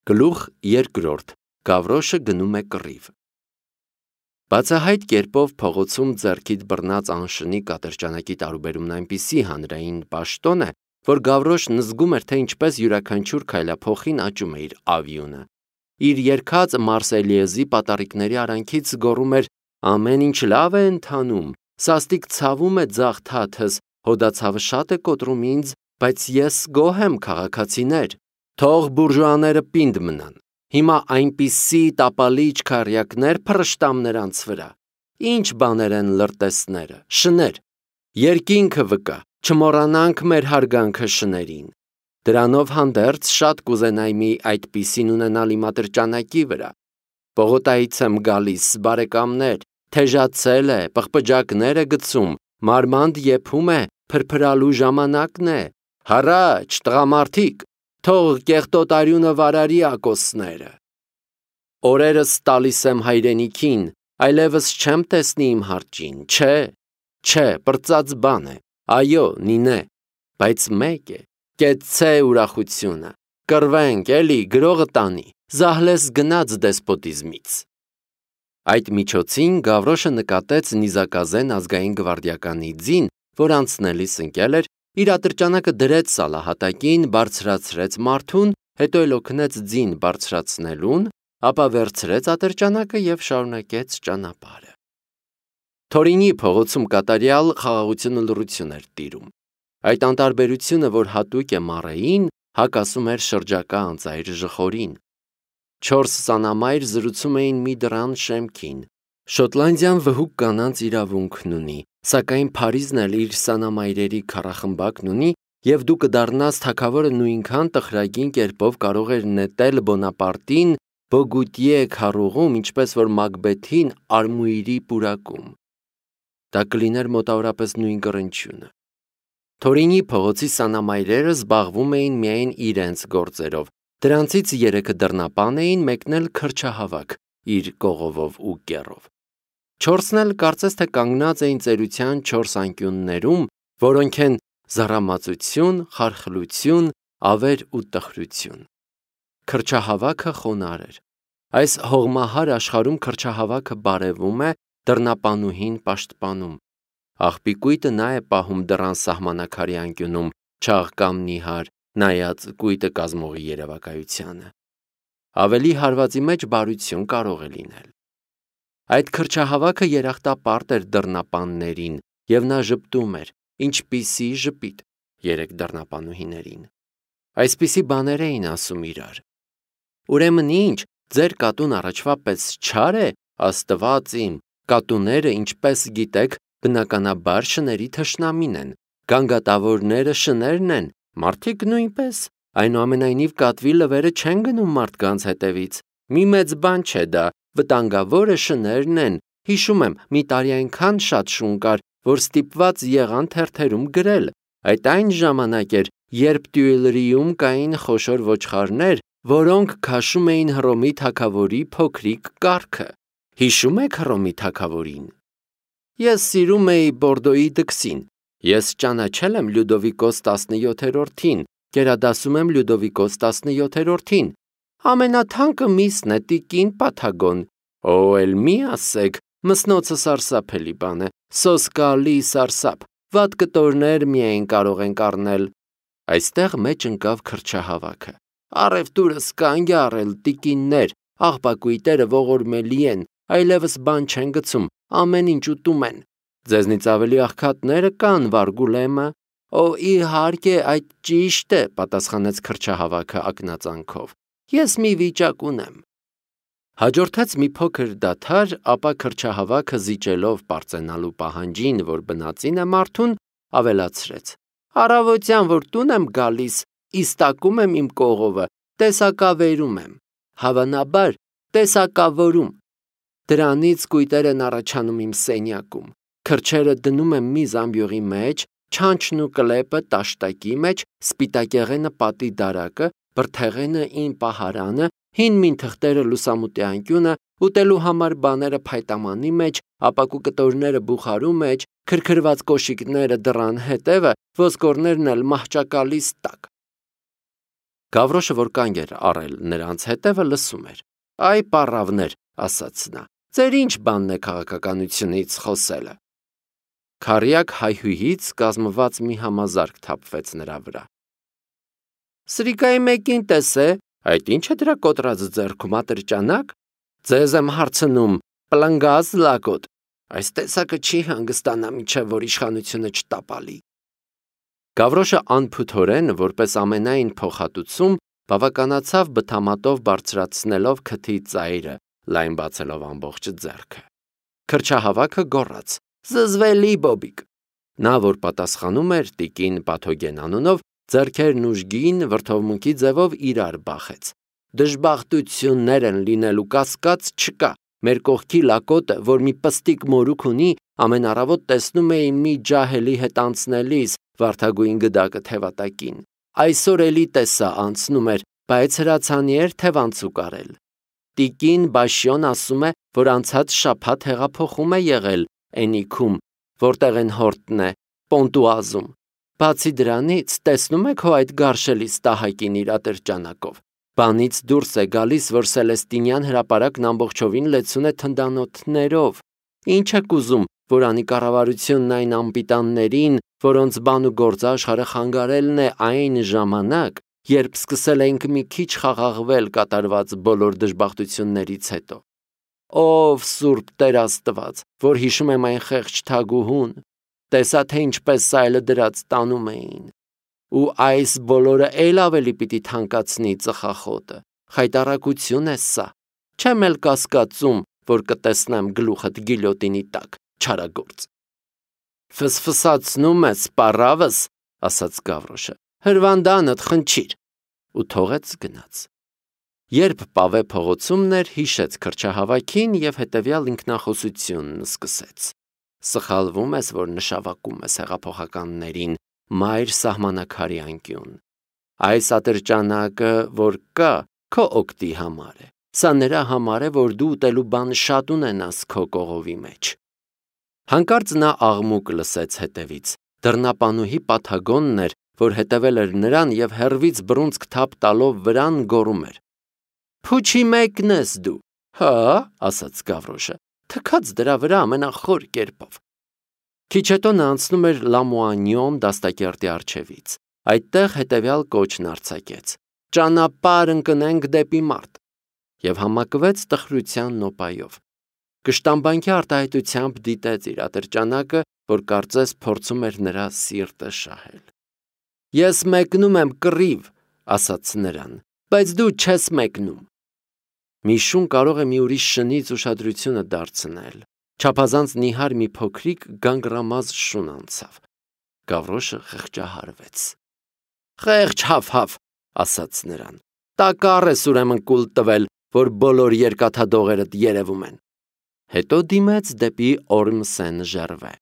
Գլուխ երկրորդ. Գավրոշը գնում է կռիվ։ Բացահայտ կերպով փողոցում ձեռքիդ բռնած անշնիկ ատրճանակի տարուբերումն այնպիսի հանրային պաշտոն է, որ Գավրոշն զգում էր, թե ինչպես յուրաքանչյուր քայլափոխին աճում է իր ավյունը։ Իր երգած Մարսելիեզի պատառիկների արանքից գոռում էր. «Ամեն ինչ լավ է ընթանում, սաստիկ ցավում է ձախ թաթս, հոդացավը շատ է կոտրում ինձ, բայց ես գոհ եմ, քաղաքացիներ, թող բուրժուաները պինդ մնան։ Հիմա այնպիսի տապալիչ քառյակներ փռշտամ նրանց վրա։ Ինչ բաներ են լրտեսները, շներ։ Երկինքը վկա, չմոռանանք մեր հարգանքը շներին։ Դրանով հանդերձ շատ կուզենայի մի այդպիսին ունենալ իմ ատրճանակի վրա։ Պողոտայից եմ գալիս, բարեկամներ, թեժացել է, պղպջակներ է գցում, մարմանդ եփում է, փրփրալու ժամանակն է։ Հառաչ, տղամարդիկ, թող կեղտոտ արյունը վարարի ակոսները։ Օրերս տալիս եմ հայրենիքին, այլևս չեմ տեսնի իմ հարճին, չէ, պրծած բան է, այո, նինե, բայց մեկ է, կեցցե ուրախությունը, կռվենք, էլի, գրողը տանի, զահլես գնաց դեսպոտիզմից։ Այդ միջոցին Գավրոշը նկատեց նիզակազեն ազգային գվարդիականի ձին, որ անցնելիս ընկել էր, իր ատրճանակը դրեց սալահատակին, բարձրացրեց մարդուն, հետո էլ օգնեց ձին բարձրացնելուն, ապա վերցրեց ատրճանակը և շարունակեց ճանապարհը։ Թորինի փողոցում կատարյալ խաղաղություն ու լռություն էր տիրում։ Այդ անտարբերությունը, որ հատուկ է Մարեին, հակասում էր շրջակա անծայր ժխորին։ 4 սանամայր զրուցում էին մի դռան շեմքին։ Շոտլանդիան վհուկ կանանց իրավունքն ունի, սակայն Փարիզն էլ իր սանամայրերի քառախմբակն ունի, և դու կդառնաս թագավորը նույնքան տխրագին կերպով կարող էր նետել Բոնապարտին Բոգուտիե քառուղում, ինչպես որ Մակբեթին Արմուիրի պուրակում։ Դա կլիներ մոտավորապես նույն կռնչյունը։ Թորինի փողոցի սանամայրերը զբաղվում էին միայն իրենց գործերով։ Դրանցից 3-ը դռնապան էին, մեկն էլ քրչահավաք իր կողովով ու կեռով։ 4-ն էլ կարծես թե կանգնած էին ծերության 4 անկյուններում, որոնք են զառամացություն, խարխլություն, ավեր ու տխրություն։ Քրչահավաքը խոնարհ էր։ Այս հողմահար աշխարհում քրչահավաքը բարևում է, դռնապանուհին պաշտպանում։ Աղբի կույտը նա է պահում դռան սահմանակարի անկյունում, չաղ կամ նիհար, նայած կույտը կազմողի երևակայությանը։ Ավելի հարվածի մեջ բարություն կարող է լինել։ Այդ քրչահավաքը երախտապարտ էր դռնապաններին, և նա ժպտում էր, ինչպիսի ժպիտ 3 դռնապանուհիներին։ Այսպիսի բաներ էին ասում իրար։ Ուրեմն ինչ, ձեր կատուն առաջվա պես չար է, Աստված իմ, կատուները, ինչպես գիտեք, բնականաբար շների թշնամին են, գանգատավորները շներն են, մարդիկ նույնպես, այնուամենայնիվ կատվի լվերը չեն գնում մարդկանց հետևից, մի մեծ բան չէ դա, վտանգավորը շներն են, հիշում եմ, մի տարի այնքան շատ շուն կար, որ ստիպված եղան թերթերում գրել, այդ այն ժամանակ էր, երբ Տյուիլրիում կային խոշոր ոչխարներ, որոնք քաշում էին Հռոմի թագավորի փոքրիկ կառքը, հիշում եք Հռոմի թագավորին։ Ես սիրում էի Բորդոյի դքսին, ես ճանաչել եմ Լյուդովիկոս 17-րդին, գերադասում եմ Լյուդովիկոս 17-րդին, ամենաթանկը միսն է տիկին Պաթագոն, օ, էլ մի ասեք, մսնոցը սարսափելի բան է, սոսկալի սարսափ, վատ կտորներ միայն կարող ենք առնել։ Այստեղ մեջ ընկավ քրչահավաքը։ Առևտուրը սկանգ է առել, տիկիններ, աղբակույտերը ողորմելի են, այլևս բան չեն գցում, ամեն ինչ ուտում են։ Ձեզնից ավելի աղքատները կան, Վարգուլեմը։ Օ, իհարկե, այդ ճիշտ է, պատասխանեց քրչահավաքը ակնածանքով։ Ես մի վիճակ ունեմ։ Հաջորդեց մի փոքր դադար, ապա քրչահավաքը զիջելով պարծենալու պահանջին, որ բնածին է մարդուն, ավելացրեց. Առավոտյան, որ տուն եմ գալիս, իստակում եմ իմ կողովը, տեսակավերում եմ, հավանաբար տեսակավորում։ Դրանից կույտեր են առաջանում իմ սենյակում, քրչերը դնում եմ մի զամբյուղի մեջ, չանչն ու կլեպը տաշտակի մեջ, սպիտակեղենը պատի դարակը, բրդեղենը իմ պահարանը, հին մին թղթերը լուսամուտի անկյունը, ուտելու համար բաները փայտամանի մեջ, ապակու կտորները բուխարու մեջ, քրքրված կոշիկները դռան հետևը, ոսկորներն էլ մահճակալիս տակ։ Գավրոշը, որ կանգ էր առել նրանց հետևը, լսում էր։ «Այ պառավներ», ասաց նա, «ձեր ինչ բանն է քաղաքականությունից խոսելը»։ Քառյակ հայհույից կազմված մի համազարկ թափվեց նրա վրա։ «Սրիկայի մեկին տեսե, այդ ինչ է դրա կոտրած ձեռքում, ատրճանակ, ձեզ եմ հարցնում, պլնգած լակոտ, այս տեսակը չի հանգստանա, մինչև որ իշխանությունը չտապալի»։ Գավրոշը անփութորեն, որպես ամենայն փոխհատուցում, բավականացավ բթամատով բարձրացնելով քթի ծայրը, լայն բացելով ամբողջ ձեռքը։ Քրչահավաքը գոռաց. «Զզվելի Բոբիկ»։ Նա, որ պատասխանում էր տիկին Պաթոգեն անունով, ձեռքերն ուժգին վրդովմունքի ձևով իրար բախեց։ «Դժբախտություններ են լինելու, կասկած չկա, մեր կողքի լակոտը, որ մի պստիկ մորուք ունի, ամեն առավոտ տեսնում էի մի ջահելի հետ անցնելիս վարդագույն գդակը թևատակին։ Այսօր էլի տեսա անցնում էր, բայց հրացանի էր թևանցուկ արել։ Տիկին Բաշյոն ասում է, որ անցած շաբաթ հեղափոխում է եղել Էնիքում, որտեղ են հորտն է, Պոնտուազում։ Բացի դրանից, տեսնում եք հո այդ գարշելի ստահակին իր ատրճանակով։ Բանից դուրս է գալիս, որ Սելեստինյան հրապարակն ամբողջովին լեցուն է թնդանոթներով։ Ինչ եք ուզում, որ անի կառավարությունն այն անպիտաններին, որոնց բան ու գործ աշխարհը խանգարելն է այն ժամանակ, երբ սկսել ենք մի քիչ խաղաղվել կատարված բոլոր դժբախտություններից հետո։ Ով Սուրբ Տեր Աստված, որ հիշում եմ այն խեղճ թագուհուն, տեսա թե ինչպես սայլը դրած տանում էին։ Ու այս բոլորը էլ ավելի պիտի թանկացնի ծխախոտը։ Խայտառակություն է սա։ Չեմ էլ կասկածում, որ կտեսնեմ գլուխդ գիլյոտինի տակ, չարագործ։ Ֆսֆսացնում ես, պառավս, ասաց Գավրոշը, հրվանդանդ խնչիր, ու թողեց գնաց։ Երբ Պավե փողոցումն էր, հիշեց քրչահավաքին և հետևյալ ինքնախոսությունն սկսեց. Սխալվում ես, որ նշավակում ես հեղափոխականներին, մայր սահմանակարի անկյուն։ Այս ատրճանակը, որ կա, քո օգտի համար է։ Սա նրա համար է, որ դու ուտելու բան շատ ունենաս քո կողովի մեջ։ Հանկարծ նա աղմուկ լսեց հետևից։ Դռնապանուհի Պաթագոնն էր, որ հետևել էր նրան և հեռվից բռունցք թափ տալով վրան գոռում էր. «Փուչի մեկն ես դու»։ «Հա», ասաց Գավրոշը, թքած դրա վրա ամենախոր կերպով։ Քիչ հետո նա անցնում էր Լամուանյոն դաստակերտի առջևից։ Այդտեղ հետևյալ կոչն արձակեց. «Ճանապարհ ընկնենք դեպի մարտ» և համակվեց տխրության նոպայով։ Կշտամբանքի արտահայտությամբ դիտեց իր ատրճանակը, որ կարծես փորձում էր նրա սիրտը շահել։ «Ես մեկնում եմ կռիվ», ասաց նրան, «բայց դու չես մեկնում»։ Մի շուն կարող է մի ուրիշ շնից ուշադրությունը դարձնել։ Չափազանց նիհար մի փոքրիկ գանգռամազ շուն անցավ։ Գավրոշը խղճահարվեց։ «Խեղճ հաֆ-հաֆ», ասաց նրան, «տակառ ես ուրեմն կուլ տվել, որ բոլոր երկաթադողերդ երևում են»։ Հետո դիմեց դեպի Օրմսեն Ժերվե։